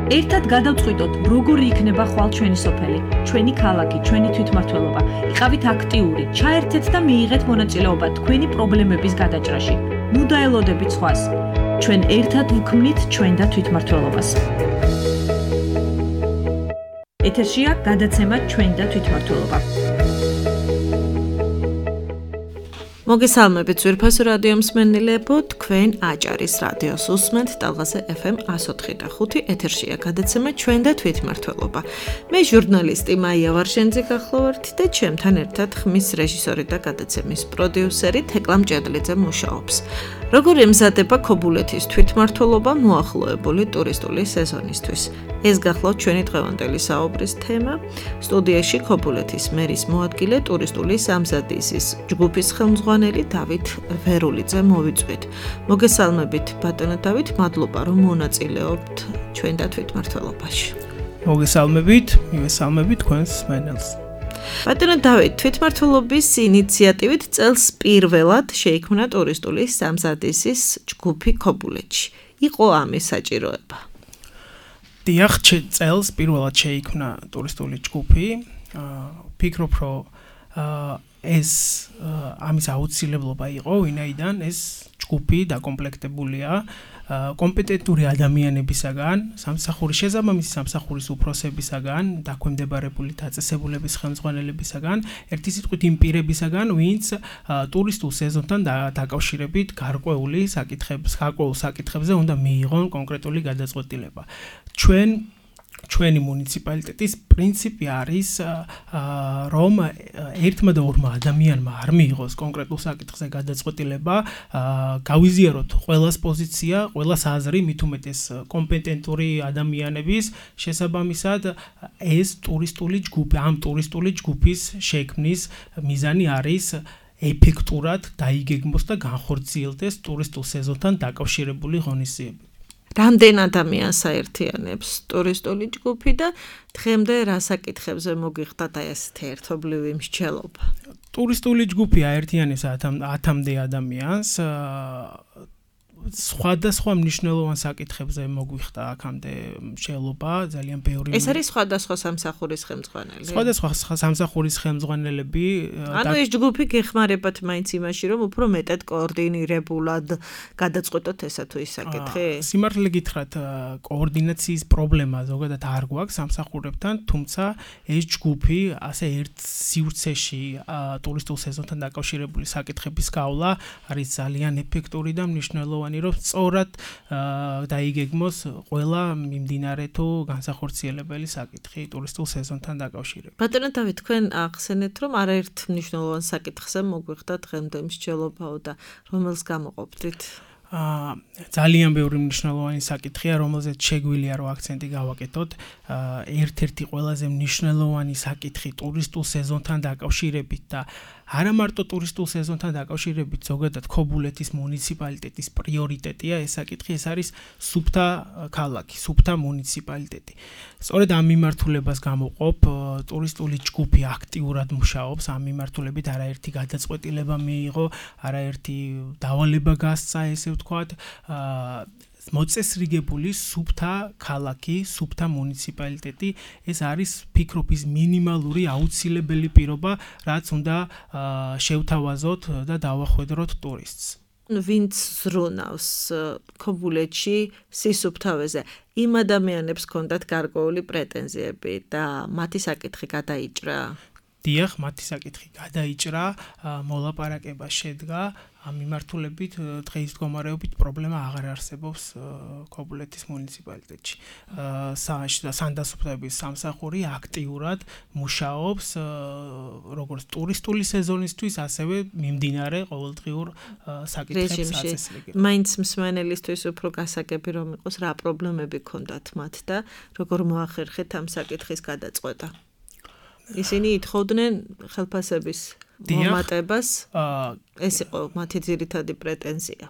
ერთად გადავწყვიტოთ, როგორი იქნება ხვალ ჩვენი სოფელი, ჩვენი ქალაქი, ჩვენი თვითმმართველობა. იყავით აქტიური, ჩაერთეთ და მიიღეთ მონაწილეობა თქვენი პრობლემების გადაჭრაში. ნუ დაელოდებით სხვას. ჩვენ ერთად ვქმნით ჩვენ და თვითმმართველობას. ეთერშია გადაცემა ჩვენ და თვითმმართველობა. მოგესალმებით ძვირფასო რადიო მსმენელებო, თქვენ აჭარის რადიოს უსმენთ ტალღაზე FM 104.5 ეთერშია გადაცემა ჩვენ და თვითმმართველობა. მე ჟურნალისტი მაია ვარშენძე გახლავართ და ჩემთან ერთად ხმის რეჟისორი და გადაცემის პროდიუსერი თეკლა მჭედლიძე მუშაობს. როგორ ემზადება ქობულეთის თვითმმართველობა მოახლოებული ტურისტული სეზონისთვის? ეს გახლავთ ჩვენი დღევანდელი საუბრის თემა. სტუდიაში ქობულეთის მერის მოადგილე ტურისტული სამზადისის ჯგუფის ხელმძღვანელი დავით ვერულიძე მოვიწვით. მოგესალმებით ბატონო დავით, მადლობა რომ მონაწილეობთ ჩვენ და თვითმმართველობაში. მივესალმებით თქვენს მსმენელს. ბატონო დავით, თვითმმართველობის ინიციატივით წელს პირველად შეიქმნა ტურისტული სამზადისის ჯგუფი ქობულეთში. იყო ამის საჭიროება? დიახ, წელს პირველად შეიქმნა ტურისტული ჯგუფი. ვფიქრობ, რომ ეს ამის აუცილებლობა იყო, ვინაიდან ეს ჯგუფი დაკომპლექტებულია კომპეტენტური ადამიანებისაგან, შესაბამისი სამსახურის უფროსებისაგან, დაქვემდებარებული დაწესებულების ხელმძღვანელებისაგან, ერთი სიტყვით იმ პირებისაგან, ვინც ტურისტულ სეზონთან დაკავშირებით გარკვეულ საკითხებზე უნდა მიიღონ კონკრეტული გადაწყვეტილება. ჩვენი მუნიციპალიტეტის პრინციპი არის, რომ ერთმა და ორმა ადამიანმა არ მიიღოს კონკრეტულ საკითხზე გადაწყვეტილება, გავიზიაროთ ყველას პოზიცია, ყველას აზრი, მით უმეტეს კომპეტენტური ადამიანების, შესაბამისად ეს ამ ტურისტული ჯგუფის შექმნის მიზანი არის ეფექტურად დაიგეგმოს და განხორციელდეს ტურისტულ სეზონთან დაკავშირებული ღონისძიებები. რამდენ ადამიანს აერთიანებს ტურისტული ჯგუფი და დღემდე რა საკითხებზე მოგიხდათ ესეთი ერთობლივი მსჯელობა? ტურისტული ჯგუფი აერთიანებს 10-მდე ადამიანს. სხვადასხვა მნიშვნელოვან საკითხებზე მოგვიხდა აქამდე მსჯელობა, ძალიან ბევრი. ეს არის სხვადასხვა სამსახურის ხელმძღვანელი. სხვადასხვა სამსახურის ხელმძღვანელები. ანუ ეს ჯგუფი გეხმარებათ მაინც იმაში, რომ უფრო მეტად კოორდინირებულად გადაწყვეტოთ ესა თუ ის საკითხი? სიმართლე გითხრათ, კოორდინაციის პრობლემა ზოგადად არ გვაქვს სამსახურებთან, თუმცა ეს ჯგუფი ასე ერთ სივრცეში ტურისტულ სეზონთან დაკავშირებული საკითხების გავლა არის ძალიან ეფექტური და მნიშვნელოვანი, რომ სწორად დაიგეგმოს ყველა მიმდინარე თუ განსახორციელებელი საკითხი ტურისტულ სეზონთან დაკავშირებით. ბატონო დავით, თქვენ ახსენეთ, რომ არაერთ მნიშვნელოვან საკითხზე მოგვიხდა დღემდე მსჯელობაო და რომელს გამოყოფდით? ძალიან ბევრი მნიშვნელოვანი საკითხია, რომელზეც შეგვიძლია რომ აქცენტი გავაკეთოთ. ერთ-ერთი ყველაზე მნიშვნელოვანი საკითხი ტურისტულ სეზონთან დაკავშირებით და არა მარტო ტურისტულ სეზონთან დაკავშირებით, ზოგადად ქობულეთის მუნიციპალიტეტის პრიორიტეტია ეს საკითხი, ეს არის სუფთა ქალაქი, სუფთა მუნიციპალიტეტი. სწორედ ამ მიმართულებას გამოყოფ ტურისტული ჯგუფი აქტიურად მუშაობს, ამ მიმართულებით არაერთი გადაწყვეტილება მიიღო, არაერთი დავალება გასცა, ესე ვთქვათ, მოწესრიგებული სუფთა ქალაქი, სუფთა მუნიციპალიტეტი, ეს არის ვფიქრობ ის მინიმალური აუცილებელი პირობა, რაც უნდა შევთავაზოთ და დავახვედროთ ტურისტს. ვინც ზრუნავს ქობულეთში სისუფთავეზე, იმ ადამიანებს ჰქონდათ გარკვეული პრეტენზიები და მათი საკითხი გადაიჭრა? დიახ, მათი საკითხი გადაიჭრა, მოლაპარაკება შედგა, ამ მიმართულებით დღეის მდგომარეობით პრობლემა აღარ არსებობს ქობულეთის მუნიციპალიტეტში. სანდასუფლების სამსახური აქტიურად მუშაობს როგორც ტურისტული სეზონისთვის, ასევე მიმდინარე ყოველდღიურ საკითხებს აწესრიგებს. მაინც მსმენელისთვის უფრო გასაგები რომ იყოს, რა პრობლემები ჰქონდათ მათ და როგორ მოახერხეთ ამ საკითხის გადაწყვეტა? ისინი ითხოვდნენ ხელფასების მომატებას, ეს იყო მათი ძირითადი პრეტენზია.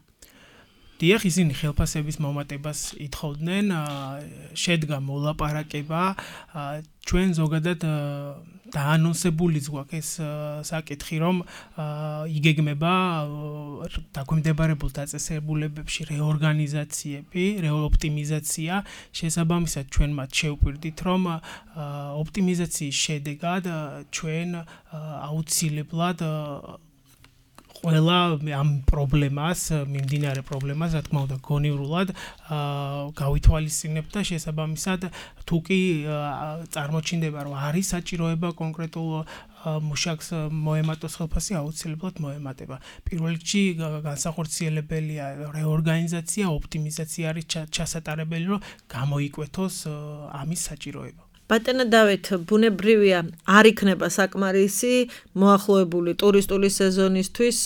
დიახ, ისინი ხელფასების მომატებას ითხოვდნენ, შედგა მოლაპარაკება, ჩვენ ზოგადად დაანონსებულიც გვაქვს ეს საკითხი, რომ იგეგმება დაგვემდებარებულ დაწესებულებებში რეორგანიზაციები, რეოპტიმიზაცია, შესაბამისად ჩვენ მათ შევპირდით, რომ ოპტიმიზაციის შედეგად ჩვენ აუცილებლად ყველა ამ პრობლემას, მიმდინარე პრობლემას, რა თქმა უნდა, გონივრულად გავითვალისწინებთ და შესაბამისად თუ კი წარმოჩინდება, რომ არის საჭიროება კონკრეტულ მუშაკს მოემატოს ხელფასი, აუცილებლად მოემატება. პირველ რიგში განსახორციელებელია რეორგანიზაცია, ოპტიმიზაცია არის ჩასატარებელი, რომ გამოიკვეთოს ამის საჭიროება. ბატონო დავით, ბუნებრივია, არ იქნება საკმარისი მოახლოებული ტურისტული სეზონისთვის,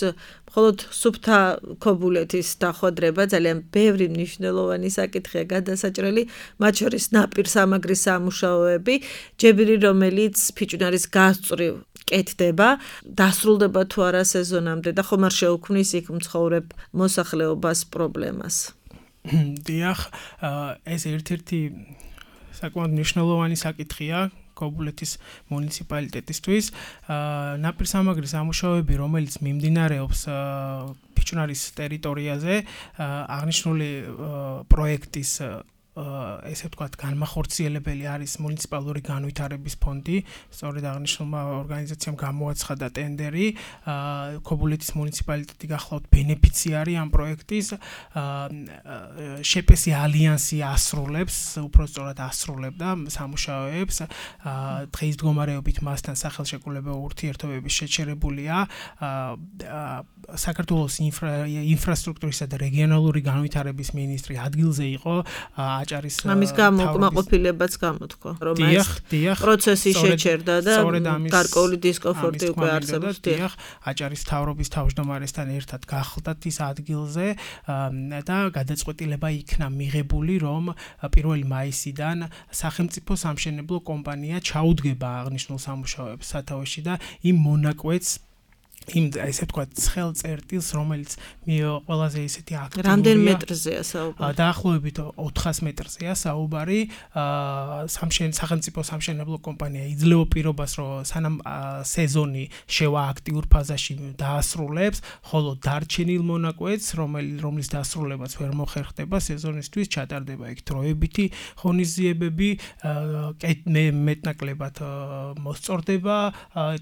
მხოლოდ სუფთა ქობულეთის დახვედრება ძალიან ბევრი მნიშვნელოვანი საკითხია გადასაჭრელი, მათ შორის ნაპირსამაგრის სამუშაოები, ჯებირი რომელიც ფიჭვნარის გასწვრივ კეთდება, დასრულდება თუ არა სეზონამდე და ხომ არ შეუქმნის იქ მცხოვრებ მოსახლეობას პრობლემას. დიახ, ეს ერთ-ერთი საკმაოდ მნიშვნელოვანი საკითხია ქობულეთის მუნიციპალიტეტისთვის. ნაპირსამაგრის სამუშაოები, რომელიც მიმდინარეობს ფიჭვნარის ტერიტორიაზე, აღნიშნული პროექტის ესე ვთქვათ, განმახორციელებელი არის მუნიციპალური განვითარების ფონდი. სწორედ აღნიშნულმა ორგანიზაციამ გამოაცხადა ტენდერი. ქობულეთის მუნიციპალიტეტი გახლავთ ბენეფიციარი ამ პროექტის. შეპესი ალიანსი ასრულებს, უпростоრად ასრულებდა სამუშაოებს. დღის მდგომარეობით მასთან სახელშეკრულებო ურთიერთობები შეჩერებულია. საქართველოს ინფრასტრუქტურისა და რეგიონალური განვითარების მინისტრი ადგილზე იყო. ამის გამო უკმაყოფილებაც გამოთქვა, რომ ეს პროცესი შეჩერდა და გარკვეული დისკომფორტი უკვე არსებობს. დიახ, აჭარის მთავრობის თავმჯდომარესთან ერთად გახლდათ ის ადგილზე და გადაწყვეტილება იქნა მიღებული, რომ 1 მაისიდან სახელმწიფო სამშენებლო კომპანია ჩაუდგება აღნიშნულ სამუშაოებს სათავეში და იმ მონაკვეთს ესე ვთქვათ, ცხელ წერტილს, რომელიც ყველაზე ისეთი აქტიურია. რამდენ მეტრზეა საუბარი? დაახლოებით 400 მეტრზეა საუბარი. სახელმწიფო სამშენებლო კომპანია იძლევა პირობას, რომ სანამ სეზონი შევა აქტიურ ფაზაში დაასრულებს, ხოლო დარჩენილ მონაკვეთს, რომლის დასრულებაც ვერ მოხერხდება სეზონისთვის, ჩატარდება იქ დროებითი ღონისძიებები, მეტნაკლებად მოსწორდება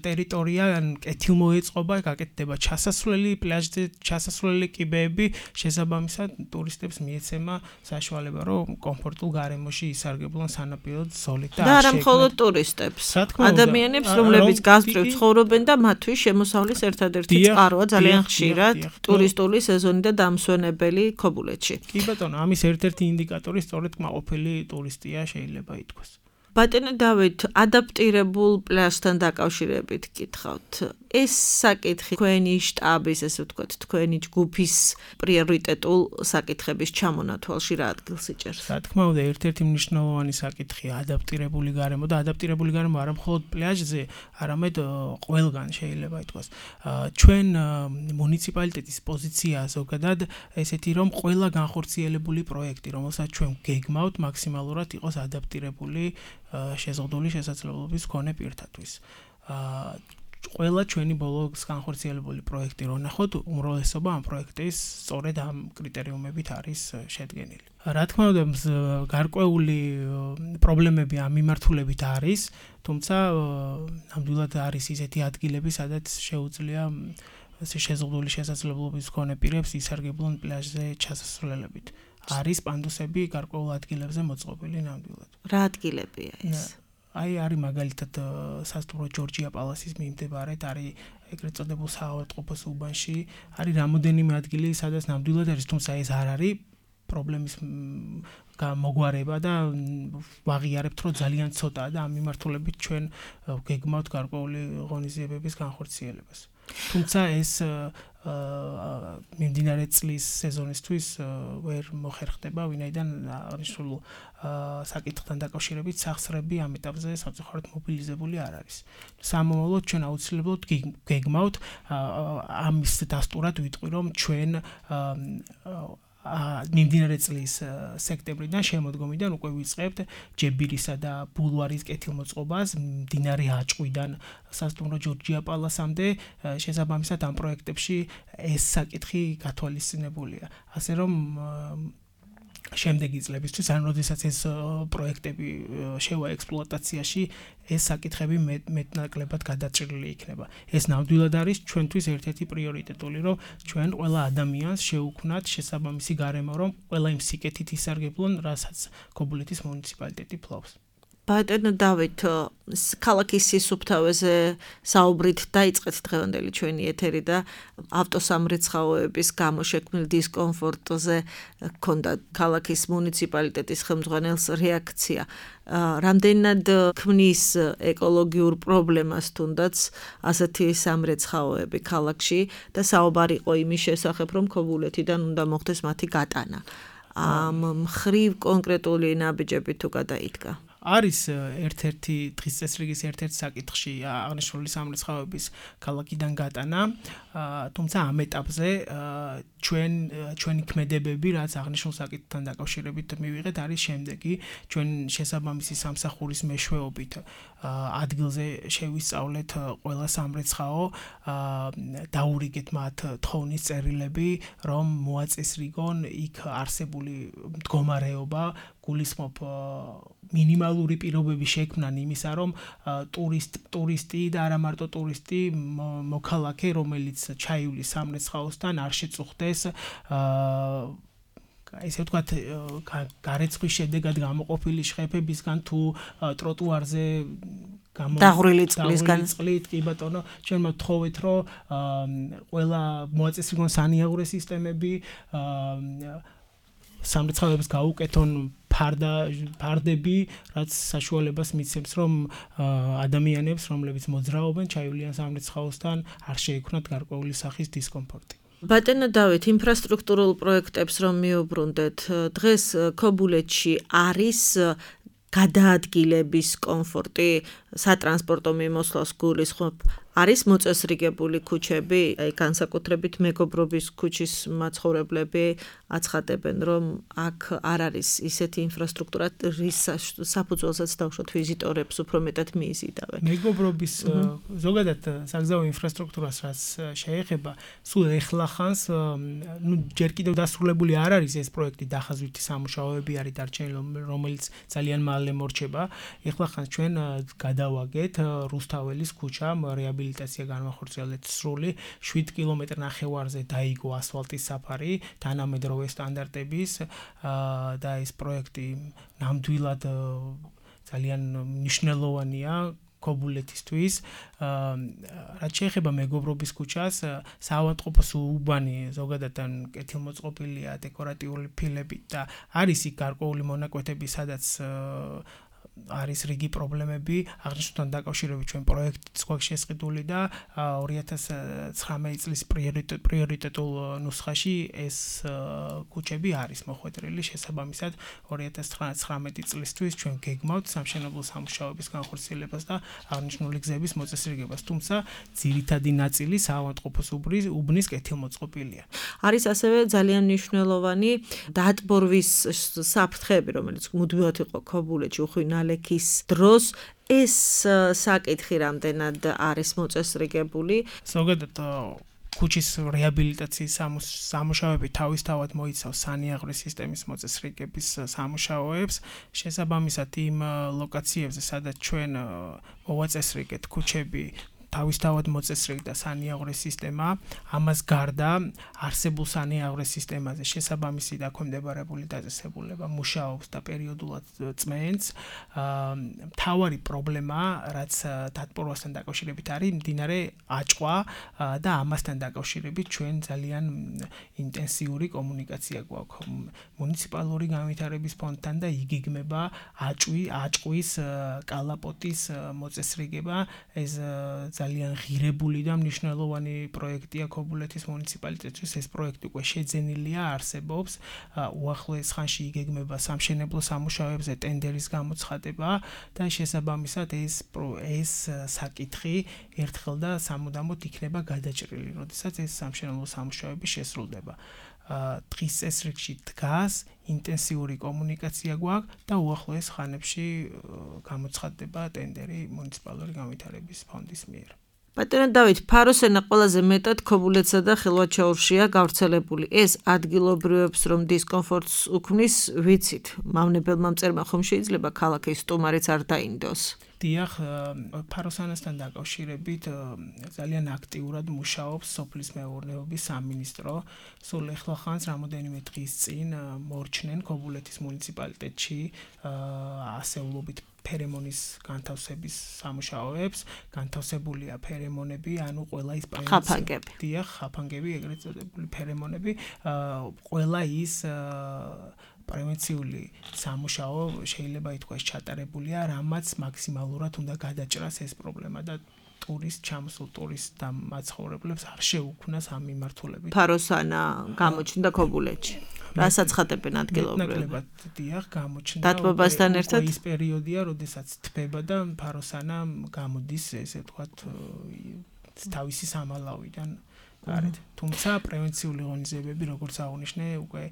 ტერიტორია, კეთილმოეწყობა გაკეთდება ჩასასვლელი პლაჟზე, ჩასასვლელი კიბეები, შესაბამისად ტურისტებს მიეცემა საშუალება, რომ კომფორტულ გარემოში ისარგებლონ სანაპირო ზოლით და არა მხოლოდ ტურისტებს, ადამიანებს, რომლებიც გასწვრივ ცხოვრობენ და მათთვის შემოსავლის ერთადერთი წყაროა ძალიან ხშირად ტურისტული სეზონი და დამსვენებელი ქობულეთში. კი ბატონო, ამის ერთ-ერთი ინდიკატორი სწორედ კმაყოფილი ტურისტია შეიძლება ითქვას. ბატონო დავით, ადაპტირებულ პლაჟთან დაკავშირებით გითხავთ. ეს საკითხი თქვენი შტაბის, ესე ვთქვათ, თქვენი ჯგუფის პრიორიტეტულ საკითხების ჩამონათვალში რა ადგილს იჭერს? რა თქმა უნდა, ერთ-ერთი მნიშვნელოვანი საკითხია ადაპტირებული გარემო და ადაპტირებული გარემო არა მხოლოდ პლაჟზე, არამედ ყველგან შეიძლება ითქვას. ჩვენ მუნიციპალიტეტის პოზიცია ზოგადად ესეთი, რომ ყველა განხორციელებული პროექტი, რომელსაც ჩვენ გეგმავთ, მაქსიმალურად იყოს ადაპტირებული შეზღუდული შესაძლებლობის მქონე პირთათვის. ყველა ჩვენი ბოლოს განხორციელებული პროექტი რო ნახოთ, უმრავლესობა ამ პროექტის სწორედ ამ კრიტერიუმებით არის შედგენილი. რა თქმა უნდა, გარკვეული პრობლემები ამ მიმართულებით არის, თუმცა ნამდვილად არის ისეთი ადგილები, სადაც შეუძლია შეზღუდული შესაძლებლობის მქონე პირებს ისარგებლონ პლაჟზე ჩასასვლელებით. არის პანდუსები გარკვეულ ადგილებზე მოწყობილი ნამდვილად. რა ადგილებია ეს? არის მაგალითად სასტუმრო ჯორჯია პალასის მიმდებარედ, არის ეგრეთ წოდებულ საავადმყოფოს უბანში, არის რამოდენიმე ადგილი, სადაც ნამდვილად არის, თუმცა ეს არ არის პრობლემის მოგვარება და ვაღიარებთ, რომ ძალიან ცოტაა და ამ მიმართულებით ჩვენ გეგმავთ გარკვეული ღონისძიებების განხორციელებას. თუმცა ეს მიმდინარე წლის სეზონისთვის ვერ მოხერხდება, ვინაიდან აღნიშნულ საკითხთან დაკავშირებით სახსრები ამ ეტაპზე სამწუხაროდ მობილიზებული არ არის. სამომავლოდ ჩვენ აუცილებლად გეგმავთ ამის დასტურად ვიტყვი, რომ ჩვენ მიმდინარე წლის სექტემბრიდან შემოდგომიდან უკვე ვიწყებთ ჯებირისა და ბულვარის კეთილმოწყობას მდინარე აჭყვიდან სასტუმრო ჯორჯია პალასამდე შესაბამისად ამ პროექტებში ეს საკითხი გათვალისწინებულია ასე რომ შემდეგი წლებისთვის ან როდესაც ეს პროექტები შევა ექსპლუატაციაში ეს საკითხები მეტნაკლებად გადაჭრილი იქნება. ეს ნამდვილად არის ჩვენთვის ერთ-ერთი პრიორიტეტული, რომ ჩვენ ყველა ადამიანს შევუქმნათ შესაბამისი გარემო, რომ ყველა იმ სიკეთით ისარგებლონ, რასაც ქობულეთის მუნიციპალიტეტი ფლობს. ბატონო დავით, ქალაქის სისუფთავეზე საუბრით დაიწყეთ დღევანდელი ჩვენი ეთერი და ავტოსამრეცხაოების გამო შექმნილ დისკომფორტზე ჰქონდა ქალაქის მუნიციპალიტეტის ხელმძღვანელს რეაქცია. რამდენად ქმნის ეკოლოგიურ პრობლემას თუნდაც ასეთი სამრეცხაოები ქალაქში და საუბარი იყო იმის შესახებ, რომ ქობულეთიდან უნდა მოხდეს მათი გატანა. ამ მხრივ კონკრეტული ნაბიჯები თუ გადაიდგა? არის ერთ-ერთი დღის წესრიგის ერთ-ერთ საკითხში აღნიშნული სამრეცხაოების ქალაქიდან გატანა, თუმცა ამ ეტაპზე ჩვენი ქმედებები, რაც აღნიშნულ საკითხთან დაკავშირებით მივიღეთ, არის შემდეგი. ჩვენ შესაბამისი სამსახურის მეშვეობით ადგილზე შევისწავლეთ ყველა სამრეცხაო, დაურიგეთ მათ თხოვნის წერილები, რომ მოაწესრიგონ იქ არსებული მდგომარეობა, გულისხმობ მინიმალური პირობები შექმნან იმისა, რომ ტურისტი და არა მარტო ტურისტი მოქალაქე, რომელიც ჩაივლის სამრეცხაოსთან არ შეწუხდეს ესე ვთქვათ გარეცხვის შედეგად გამოყოფილი შეხებებისგან თუ ტროტუარზე დაღვრილი წყლისგან კი ბატონო ჩვენ მოვთხოვეთ რომ ყველა მოაწესრიგონ სანიაღვრე სისტემები სამრეცხაოებს გაუკეთონ ფარდები, რაც საშუალებას მიცემს, რომ ადამიანებს, რომლებიც მოძრაობენ, ჩაივლიან სამრეცხაოსთან, არ შეექმნათ გარკვეული სახის დისკომფორტი. ბატონო დავით, ინფრასტრუქტურულ პროექტებს რომ მიუბრუნდეთ, დღეს ქობულეთში არის გადაადგილების კომფორტი, სატრანსპორტო მიმოსვლას გულისხმობ, არის მოწესრიგებული ქუჩები, აი განსაკუთრებით მეგობრობის ქუჩის მაცხოვრებლები აცხადებენ, რომ აქ არ არის ისეთი ინფრასტრუქტურა, რის საფუძველსაც დავუშვათ ვიზიტორებს უფრო მეტად მიიზიდავენ. მეგობრობის ზოგადად საგზაო ინფრასტრუქტურას რაც შეეხება, სულ ეხლახანს, ჯერ კიდევ დასრულებული არ არის ეს პროექტი, დახაზვითი სამუშაოები არის დარჩენილი, რომელიც ძალიან მალე მორჩება. ეხლახანს ჩვენ გადავაგეთ რუსთაველის ქუჩამ რეაბილიტაცია განვახორციელეთ სრული 7 კილომეტრ ნახევარზე დაიგო ასფალტის საფარი თანამედროვე სტანდარტების და ეს პროექტი ნამდვილად ძალიან მნიშვნელოვანია ქობულეთისთვის. რაც შეეხება მეგობრობის ქუჩას, საავადმყოფოს უბანი ზოგადად კეთილმოწყობილია დეკორატიული ფილებით და არის იქ გარკვეული მონაკვეთები, სადაც არის რიგი პრობლემები, აღნიშნულთან დაკავშირებით ჩვენ პროექტიც გვაქვს შესყიდული და 2019 წლის პრიორიტეტულ ნუსხაში ეს ქუჩები არის მოხვედრილი, შესაბამისად 2019 წლისთვის ჩვენ გეგმავთ სამშენებლო სამუშაოების განხორციელებას და აღნიშნული გზების მოწესრიგებას, თუმცა ძირითადი ნაწილი საავადმყოფოს უბნის კეთილმოწყობილია. არის ასევე ძალიან მნიშვნელოვანი დატბორვის საფრთხეები, რომელიც მუდმივად იყო ქობულეთში უხვინალექის დროს, ეს საკითხი რამდენად არის მოწესრიგებული? ზოგადად ქუჩის რეაბილიტაციის სამუშაოები თავისთავად მოიცავს სანიაღვრე სისტემის მოწესრიგების სამუშაოებს, შესაბამისად იმ ლოკაციებზე, სადაც ჩვენ მოვაწესრიგეთ ქუჩები თავისთავად მოწესრიგდა სანიაღვრე სისტემა, ამას გარდა არსებულ სანიაღვრე სისტემაზე შესაბამისი დაქვემდებარებული დაწესებულება მუშაობს და პერიოდულად წმენს. მთავარი პრობლემა, რაც დატბორვასთან დაკავშირებით არის, მდინარე აჭყვა და ამასთან დაკავშირებით ჩვენ ძალიან ინტენსიური კომუნიკაცია გვაქვს მუნიციპალური განვითარების ფონდთან და იგეგმება აჭყვის კალაპოტის მოწესრიგება. ეს ძალიან ღირებული და მნიშვნელოვანი პროექტია ქობულეთის მუნიციპალიტეტთვის. ეს პროექტი უკვე შეძენილია, არსებობს. უახლოეს ხანში იგეგმება სამშენებლო სამუშაოებზე ტენდერის გამოცხადება და შესაბამისად ეს საკითხი ერთხელ და სამუდამოდ იქნება გადაჭრილი, როდესაც ეს სამშენებლო სამუშაოები შესრულდება. დღის წესრიგში დგას, ინტენსიური კომუნიკაცია გვაქვს და უახლოეს ხანებში გამოცხადდება ტენდერი მუნიციპალური განვითარების ფონდის მიერ. ბატონო დავით, ფაროსენა ყველაზე მეტად ქობულეთსა და ხილვაჩაურშია გავრცელებული. ეს ადგილობრივებს რომ დისკომფორტს უქმნის, ვიცით. მავნებელმა მწერმა ხომ შეიძლება ქალაქის სტუმარიც არ დაინდოს. დიახ, ფაროსანასთან დაკავშირებით ძალიან აქტიურად მუშაობს სოფლის მეურნეობის სამინისტრო. სულ ახლახანს რამოდენიმე დღის წინ მორჩნენ ქობულეთის მუნიციპალიტეტში ასეულობით ფერემონის განთავსების სამუშაოებს. განთავსებულია ფერემონები, ანუ ყველა ის ხაფანგები. დიახ, ხაფანგები, ეგრეთ წოდებული ფერემონები, ყველა ის პრევენციული სამუშაო შეიძლება ითქვას ჩატარებულია, რამაც მაქსიმალურად უნდა გადაჭრას ეს პრობლემა და ჩამოსულ ტურისტ და მაცხოვრებლებს არ შეუქმნას ამ მიმართულებით. ფაროსანა გამოჩნდა ქობულეთში. რასაც ხატებენ ადგილობრივები. ნაკლებად დიახ, გამოჩნდა. დათბობასთან ერთად ის პერიოდია, როდესაც თბება და ფაროსანა გამოდის, ესე ვთქვათ, თავისი სამალავიდან გარეთ. თუმცა პრევენციული ღონისძიებები, როგორც აღნიშნე, უკვე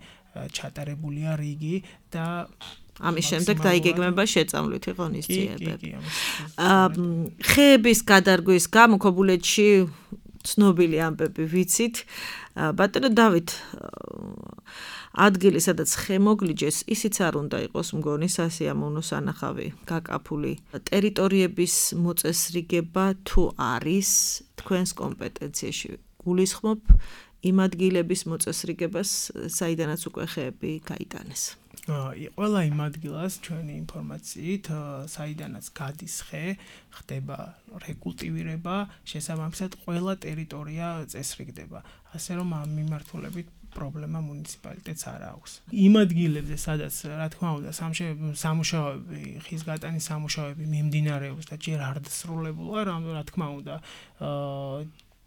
ჩატარებულია რიგი და ამის შემდეგ დაიგეგმება შეწამლვითი ღონისძიებები. ხეების გადარგვის გამო ქობულეთში ცნობილი ამბები ვიცით. ბატონო დავით, ადგილი, სადაც ხე მოგლიჯეს, ისიც არ უნდა იყოს მგონი სასიამოვნო სანახავი, გაკაფული. ტერიტორიების მოწესრიგება თუ არის თქვენს კომპეტენციაში? გულისხმობ იმ ადგილების მოწესრიგებას, საიდანაც უკვე ხეები გაიტანეს. ყველა იმ ადგილას ჩვენი ინფორმაციით, საიდანაც გადის ხე, ხდება რეკულტივირება, შესაბამისად ყველა ტერიტორია წესრიგდება. ასე რომ ამ მიმართულებით პრობლემა მუნიციპალიტეტს არ აქვს. იმ ადგილებზე, სადაც რა თქმა უნდა სამუშაოები, ხის გატანის სამუშაოები მიმდინარეობს და ჯერ არ დასრულებულა, რა თქმა უნდა,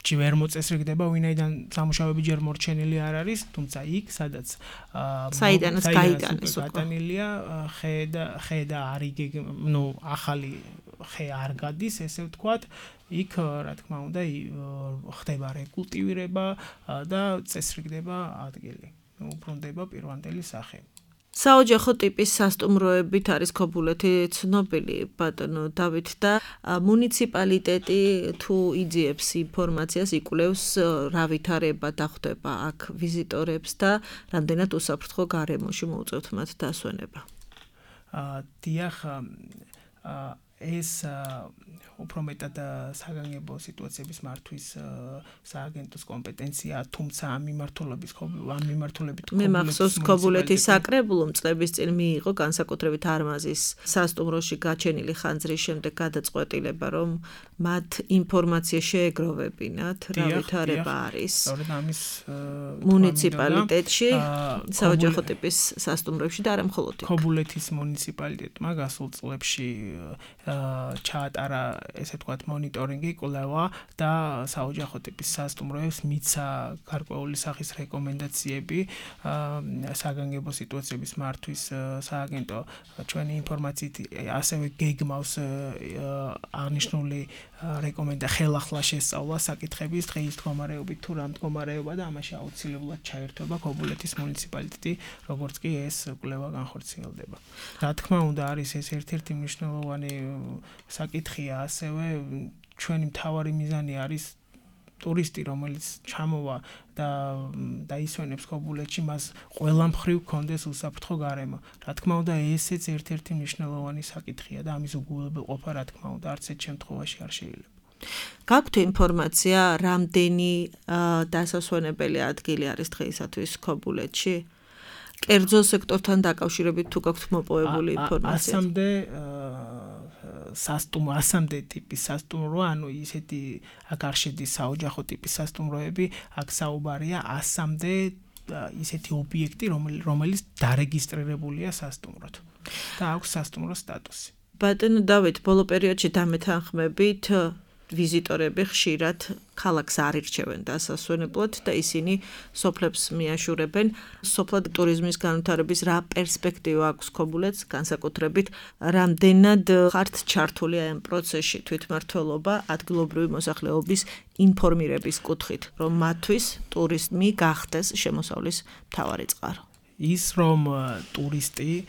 ვერ მოწესრიგდება, ვინაიდან სამუშაოები ჯერ მორჩენილი არ არის, თუმცა იქ, სადაც საიდანაც გაიტანეს გატანილია ხე და ახალი ხე არ გადის, ესე ვთქვათ, იქ რა თქმა უნდა ხდება რეკულტივირება და წესრიგდება ადგილი. უბრუნდება პირვანდელი სახე. საოჯახო ტიპის სასტუმროებით არის ქობულეთი ცნობილი, ბატონო დავით, და მუნიციპალიტეტი თუ იძიებს ინფორმაციას, იკვლევს რა ვითარება დახვდება აქ ვიზიტორებს და რამდენად უსაფრთხო გარემოში მოუწევთ მათ დასვენება. დიახ, ეს უფრო მეტად საგანგებო სიტუაციების მართვის სააგენტოს კომპეტენცია, თუმცა ამ მიმართულებით მე მახსოვს ქობულეთის საკრებულომ წლების წინ მიიღო განსაკუთრებით არმაზის სასტუმროში გაჩენილი ხანძრის შემდეგ გადაწყვეტილება, რომ მათ ინფორმაცია შეეგროვებინათ, რა ვითარება არის მუნიციპალიტეტში, საოჯახო ტიპის სასტუმროებში და არა მხოლოდ იქ. ქობულეთის მუნიციპალიტეტმა გასულ წლებში ჩაატარა, ესე ვთქვათ, მონიტორინგი, კვლევა და საოჯახო ტიპის სასტუმროებს მიცა გარკვეული სახის რეკომენდაციები საგანგებო სიტუაციების მართვის სააგენტო ჩვენი ინფორმაციით ასევე გეგმავს აღნიშნული ხელახლა შესწავლა საკითხების დღეის მდგომარეობით თუ რა მდგომარეობა და ამაში აუცილებლად ჩაერთვება ქობულეთის მუნიციპალიტეტი, როგორც კი ეს კვლევა განხორციელდება. რა თქმა უნდა, არის ეს ერთ-ერთი მნიშვნელოვანი საკითხია, ასევე ჩვენი მთავარი მიზანი არის ტურისტი, რომელიც ჩამოვა და დაისვენებს ქობულეთში, მას ყველა მხრივ ჰქონდეს უსაფრთხო გარემო. რა თქმა უნდა, ესეც ერთ-ერთი მნიშვნელოვანი საკითხია და ამის უგულებელყოფა, რა თქმა უნდა, არც ერთ შემთხვევაში არ შეიძლება. გაქვთ ინფორმაცია, რამდენი დასასვენებელი ადგილი არის დღეისათვის ქობულეთში? კერძო სექტორთან დაკავშირებით თუ გაქვთ მოპოვებული ინფორმაცია? ასამდე ტიპის სასტუმრო, ანუ ისეთი აქ არ შედის საოჯახო ტიპის სასტუმროები, აქ საუბარია 100-მდე ისეთი ობიექტი, რომელიც დარეგისტრირებულია სასტუმროდ და აქვს სასტუმრო სტატუსი. ბატონო დავით, ბოლო პერიოდში დამეთანხმებით ვიზიტორები ხშირად ქალაქს არ ირჩევენ დასასვენებლად და ისინი სოფლებს მიაშურებენ. სოფლად ტურიზმის განვითარების რა პერსპექტივა აქვს ქობულეთს, განსაკუთრებით რამდენად ხართ ჩართული ამ პროცესში თვითმმართველობა ადგილობრივი მოსახლეობის ინფორმირების კუთხით, რომ მათთვის ტურიზმი გახდეს შემოსავლის მთავარი წყარო. ის რომ ტურისტების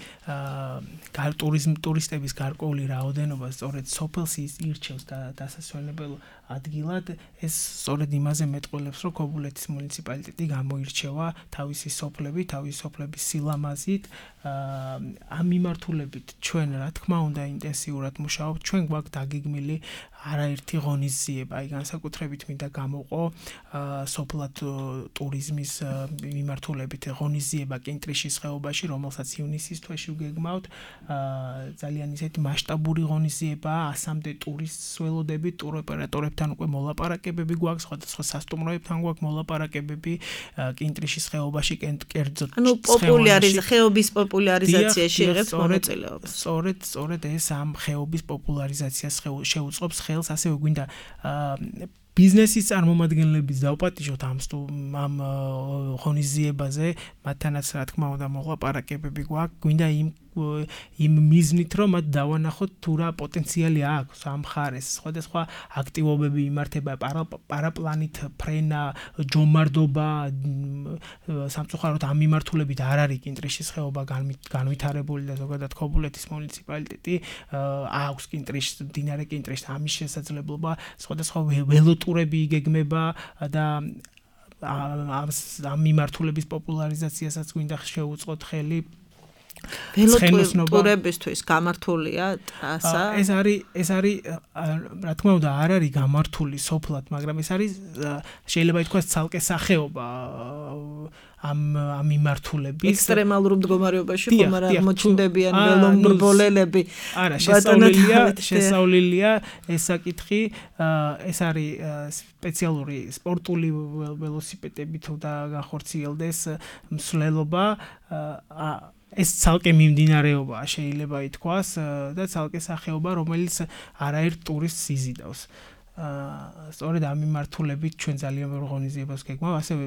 გარკვეული რაოდენობა სწორედ სოფელს ირჩევს დასასვენებელ ადგილად, ეს სწორედ იმაზე მეტყველებს, რომ ქობულეთის მუნიციპალიტეტი გამოირჩევა თავისი სოფლების სილამაზით, ამ მიმართულებით ჩვენ რა თქმა უნდა ინტენსიურად მუშაობთ, ჩვენ გვაქვს დაგეგმილი არაერთი ღონისძიება, აი განსაკუთრებით მინდა გამოვყო სოფლად ტურიზმის მიმართულებით ღონისძიება კინტრიშის ხეობაში, რომელსაც ივნისის თვეში ვგეგმავთ, ძალიან ისეთი მასშტაბური ღონისძიებაა, 100-მდე ტურისტს ველოდებით, ტუროპერატორებთან უკვე მოლაპარაკებები გვაქვს, სხვადასხვა სასტუმროებთან გვაქვს მოლაპარაკებები კინტრიშის ხეობაში, კერძოდ ხეობის პოპულარიზაციაში იღებს მონაწილეობას. სწორედ ეს ამ ხეობის პოპულარიზაციას შეუწყობს ხელს, ასევე გვინდა ბიზნესის წარმომადგენლების დავპატიჟოთ ამ ღონისძიებაზე, მათთანაც რა თქმა უნდა მოლაპარაკებები გვაქვს, გვინდა იმ მიზნით, რომ მათ დავანახოთ თუ რა პოტენციალი აქვს ამ მხარეს. სხვადასხვა აქტივობები იმართება, პარაპლანით ფრენა, ჯომარდობა, სამწუხაროდ ამ მიმართულებით არ არის კინტრიშის ხეობა განვითარებული და ზოგადად ქობულეთის მუნიციპალიტეტი აქვს მდინარე კინტრიშს ამის შესაძლებლობა, სხვადასხვა ველოტურები იგეგმება და ამ მიმართულების პოპულარიზაციასაც გვინდა შეუწყოთ ხელი. ველოტურებისთვის გამართულია ტრასა? ეს არის რა თქმა უნდა არ არის გამართული სოფლად, მაგრამ ეს არის შეიძლება ითქვას ცალკე სახეობა ამ მიმართულების ექსტრემალურ მდგომარეობაში ხომ არ აღმოჩნდებიან ველომრბოლელები. არა, შესავლელია ეს საკითხი, ეს არის სპეციალური სპორტული ველოსიპედები თუ და გახორციელდეს მსვლელობა, ეს ცალკე მიმდინარეობაა შეიძლება ითქვას და ცალკე სახეობა, რომელიც არაერთ ტურისტს იზიდავს. სწორედ ამ მიმართულებით ჩვენ ძალიან ბევრ ღონისძიებას გეგმავთ, ასევე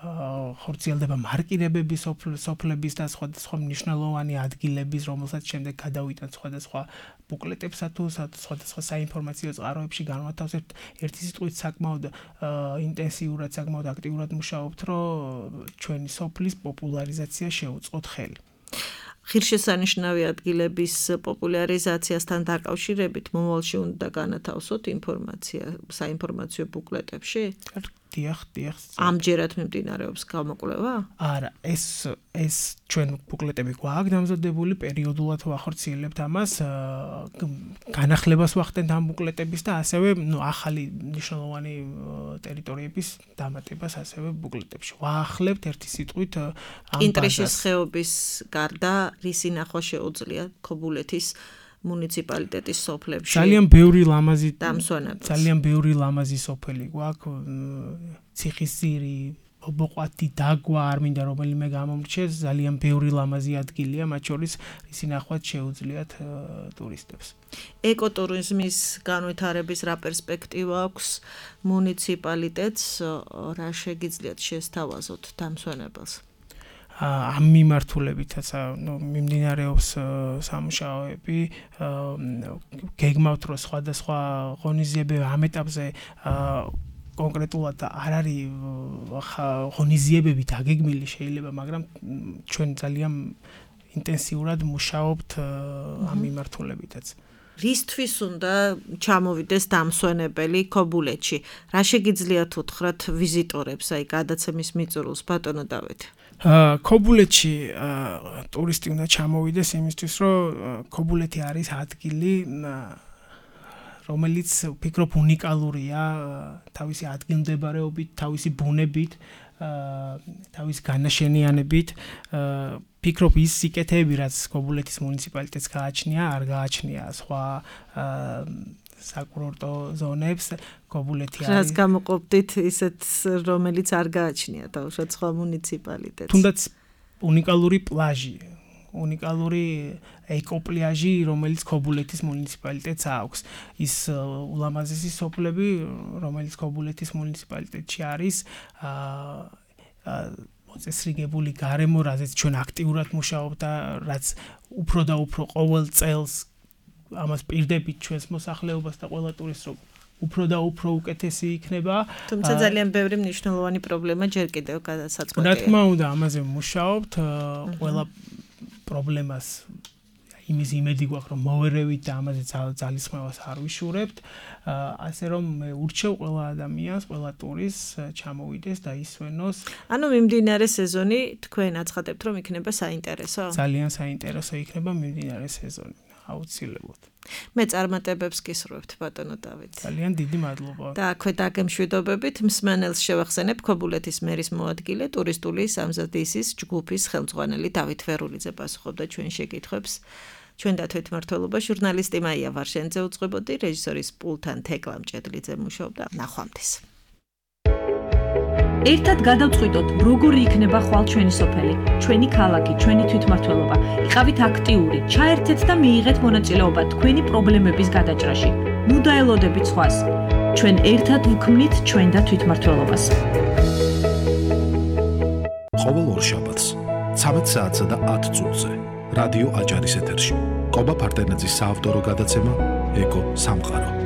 ხორციელდება მარკირებები სოფლების და სხვადასხვა მნიშვნელოვანი ადგილების, რომელსაც შემდეგ გადავიტანთ სხვადასხვა ბუკლეტებსა თუ სხვადასხვა საინფორმაციო წყაროებში განვათავსებთ. ერთი სიტყვით საკმაოდ ინტენსიურად, საკმაოდ აქტიურად მუშაობთ, რომ ჩვენი სოფლის პოპულარიზაცია შეუწყოთ ხელი. ღირსშესანიშნავი ადგილების პოპულარიზაციასთან დაკავშირებით მომავალში უნდა განათავსოთ ინფორმაცია საინფორმაციო ბუკლეტებში? დიახ. ამჯერად მიმდინარეობს გამოკვლევა? არა, ეს ჩვენ ბუკლეტები გვაქვს დამზადებული, პერიოდულად ვახორციელებთ ამას, განახლებას ვახდენთ ამ ბუკლეტების და ასევე ახალი მნიშვნელოვანი ტერიტორიების დამატებას ასევე ბუკლეტებში. ვაახლებთ ერთი სიტყვით ამ ბაზას. კინტრიშის ხეობის გარდა რისი ნახვა შეუძლია ქობულეთის მუნიციპალიტეტის სოფლებში? ძალიან ბევრი ლამაზი სოფელი გვაქვს, ციხისძირი, ბობოყვათი, დაგვა, არ მინდა რომელიმე გამომრჩეს, ძალიან ბევრი ლამაზი ადგილია, მათ შორის რისი ნახვაც შეუძლიათ ტურისტებს. ეკოტურიზმის განვითარების რა პერსპექტივა აქვს მუნიციპალიტეტს, რა შეგიძლიათ შესთავაზოთ დამსვენებელს? ამ მიმართულებითაც მიმდინარეობს სამუშაოები, გეგმავთ რომ სხვადასხვა ღონისძიებები ამ ეტაპზე კონკრეტულად არ არის ღონისძიებები დაგეგმილი შეიძლება, მაგრამ ჩვენ ძალიან ინტენსიურად მუშაობთ ამ მიმართულებითაც. რისთვის უნდა ჩამოვიდეს დამსვენებელი ქობულეთში? რა შეგიძლიათ უთხრათ ვიზიტორებს, აი გადაცემის მიწურულს, ბატონო დავით? ქობულეთში ტურისტი უნდა ჩამოვიდეს იმისთვის, რომ ქობულეთი არის ადგილი, რომელიც ვფიქრობ უნიკალურია თავისი ადგილმდებარეობით, თავისი ბუნებით, თავის განაშენიანებით. ვფიქრობ ის სიკეთეები, რაც ქობულეთის მუნიციპალიტეტს გააჩნია, არ გააჩნია სხვა საკურორტო ზონებს. ქობულეთი არის. რაც გამოყოფდით ისეთ, რომელიც არ გააჩნია თავშად სხვა მუნიციპალიტეტს. თუნდაც უნიკალური პლაჟი უნიკალური ეკოპლიაჟი, რომელიც ქობულეთის მუნიციპალიტეტს აქვს. ის ულამაზესი სოფლები, რომელიც ქობულეთის მუნიციპალიტეტში არის, მოწესრიგებული გარემო, რაზეც ჩვენ აქტიურად მუშაობთ და რაც უფრო და უფრო ყოველ წელს ამას პირდებით ჩვენს მოსახლეობას და ყველა ტურისტს რომ უფრო და უფრო უკეთესი იქნება. თუმცა ძალიან ბევრი მნიშვნელოვანი პრობლემა ჯერ კიდევ გადასაწყვეტია. რა თქმა უნდა, ამაზე ვმუშაობთ, ყველა პრობლემას იმის იმედი გვაქვს, რომ მოვერევით და ამაზე ძალისხმევას არ ვიშურებთ. ასე რომ მე ურჩევ ყველა ადამიანს, ყველა ტურისტს ჩამოვიდეს და ისვენოს. ანუ მიმდინარე სეზონი თქვენ აცხადებთ, რომ იქნება საინტერესო? ძალიან საინტერესო იქნება მიმდინარე სეზონი. აუცილებლად. მე წარმატებებს გისურვებთ ბატონო დავით. ძალიან დიდი მადლობა. და აქვე დაგემშვიდობებით მსმენელს შევახსენებ ქობულეთის მერის მოადგილე ტურისტული სამზადისის ჯგუფის ხელმძღვანელი დავით ვერულიძე პასუხობდა ჩვენ შეკითხვებს. ჩვენ და თვითმმართველობა ჟურნალისტი მაია ვარშენძე უძღვებოდი, რეჟისორის პულთან თეკლა მჭედლიძე მუშაობდა. ნახვამდის. ერთად გადავწყვიტოთ, როგორი იქნება ხვალ ჩვენი სოფელი, ჩვენი ქალაქი, ჩვენი თვითმმართველობა. იყავით აქტიური, ჩაერთეთ და მიიღეთ მონაწილეობა თქვენი პრობლემების გადაჭრაში. ნუ დაელოდებით სხვას. ჩვენ ერთად ვქმნით ჩვენ და თვითმმართველობას. ყოველ ორშაბათს 13 საათსა და 10 წუთზე რადიო აჭარის ეთერში. კობა ფარდენაძის საავტორო გადაცემა ეკო სამყარო.